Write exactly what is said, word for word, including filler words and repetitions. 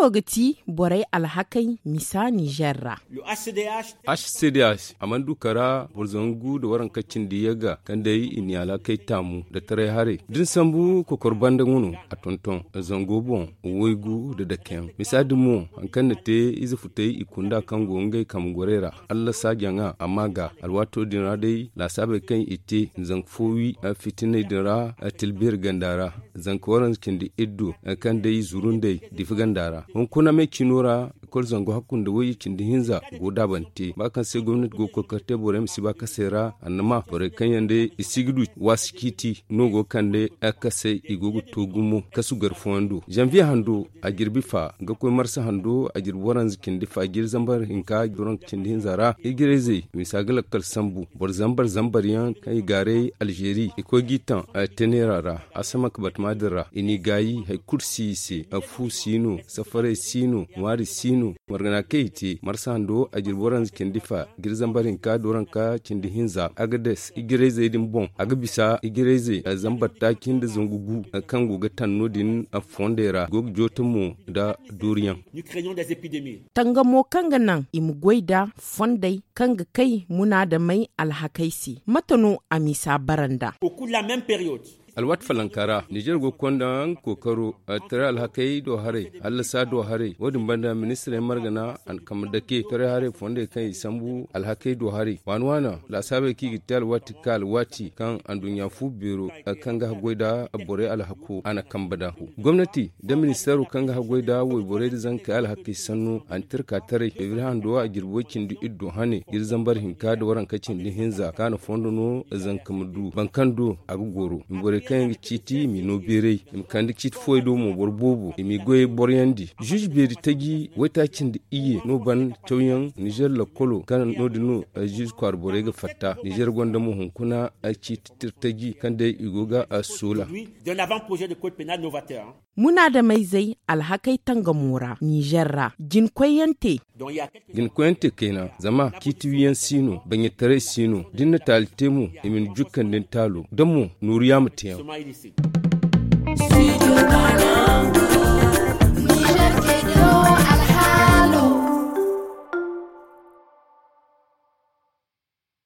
Laabo ga ti borey alhakey misa nizer ra. H c d h a mana du kara boro zangu nda waranka cindi yagga kaŋ day i n'i alhakey taamu nda taray haray da ni sambu kokor banda nga no a tonton zango boŋ. Waygu nda dakeyaŋ misa din mo hari kaŋ na te ize futay i kunda kaŋ go ngey kambe gorey ra. Alla saajaŋa a ma ga alwaato din ra day laasaabey kaŋ i te zanka fo wi fitiney din ra. Tilbeeri ganda ra zanka waranza cindi iddu kaŋ day zuru nd'ey difi ganda ra hunkuna me ciino ra. Kulu zangu hakku nda wayye cindi hinza go daabante ba kaŋ se gomnati go ga koy ga kar te borey ma si ba kasey ra annama borey kaŋ yaŋ day i si ga du waasi ciiti no go ga kande. Kasey i go ga to gumo kasu gar fooyaŋ do zanviye hando a jirbi fa ga koy marsa hando a jirbi waranza cindi fa jiri zambar hinka joroŋ cindi hinza ra ijirayzey misa ga lakkal sambu boro zambar zambar yaŋ kaŋ i gaaray alzeeri i koy g'i taŋ. Tenera ra a sama ka batama din ra i n'i gaayi hari kulu si i se fu si no safarey si no ŋwaari si no. Margana kaŋ i te marsa hando a jirbi waranza cindi fa jiri zambar hinka dooranka cindi hinza agades ijirayzey din boŋ a ga bisa ijirayzey zambar taaci nda zangu gu kaŋ go ga taŋ no- din fondey ra go ga joote mo nda dooriyaŋ. Tangamo kaŋ ga naŋ i ma goy nda fondey kaŋ ga kay munaadamey alhakey se mate no a misa bara nd'a? Alwaati falanka ra nizer go ga konda nga kookaro taray alhakey do haray hallasa do haray wo- din banda ministirey margana a na kambe dake taray haray fondey kaŋ i sambu alhakey do haray waana waana laasaabey kaŋ i ga te alwaati ga ka alwaati kaŋ anduɲɲa fu beero kaŋ ga haggoy nda borey alhako a na kambe nd'a. Gomnati nda ministeero kaŋ ga haggoy nda wayborey nda zankey alhakey sanno a na tirka taray febriye hando a jirbi way- cindi iddu hane jiri zambar hinka nda waranka cindi hinza kaŋ a na fondo no zanka ma du boro kaŋ do a ga goro i ma borey kaŋ yaŋ ga ciiti i m'i no beeray i ma kande ciiti fooyey do mo boro boobo i m'i goyey boroyandi. Zuuzu beeri taji waytaaci nda iyye no ban cawyaŋ nizer lakkolo kaŋ no- din no zuuzu kwaara borey ga fatta nizer gonda mo hunkuna ciiti tirtaji kaŋ day i go ga soola. Munaadamey zey alhakey tangamo ra nizer ra jinkoyyaŋ te. Jinkoyante kayna zama ciiti wiyaŋ si no baɲataray si no da ni na taali te mo i ma ni jukkandi ni taalo da mo nooru yaama teeyaŋ.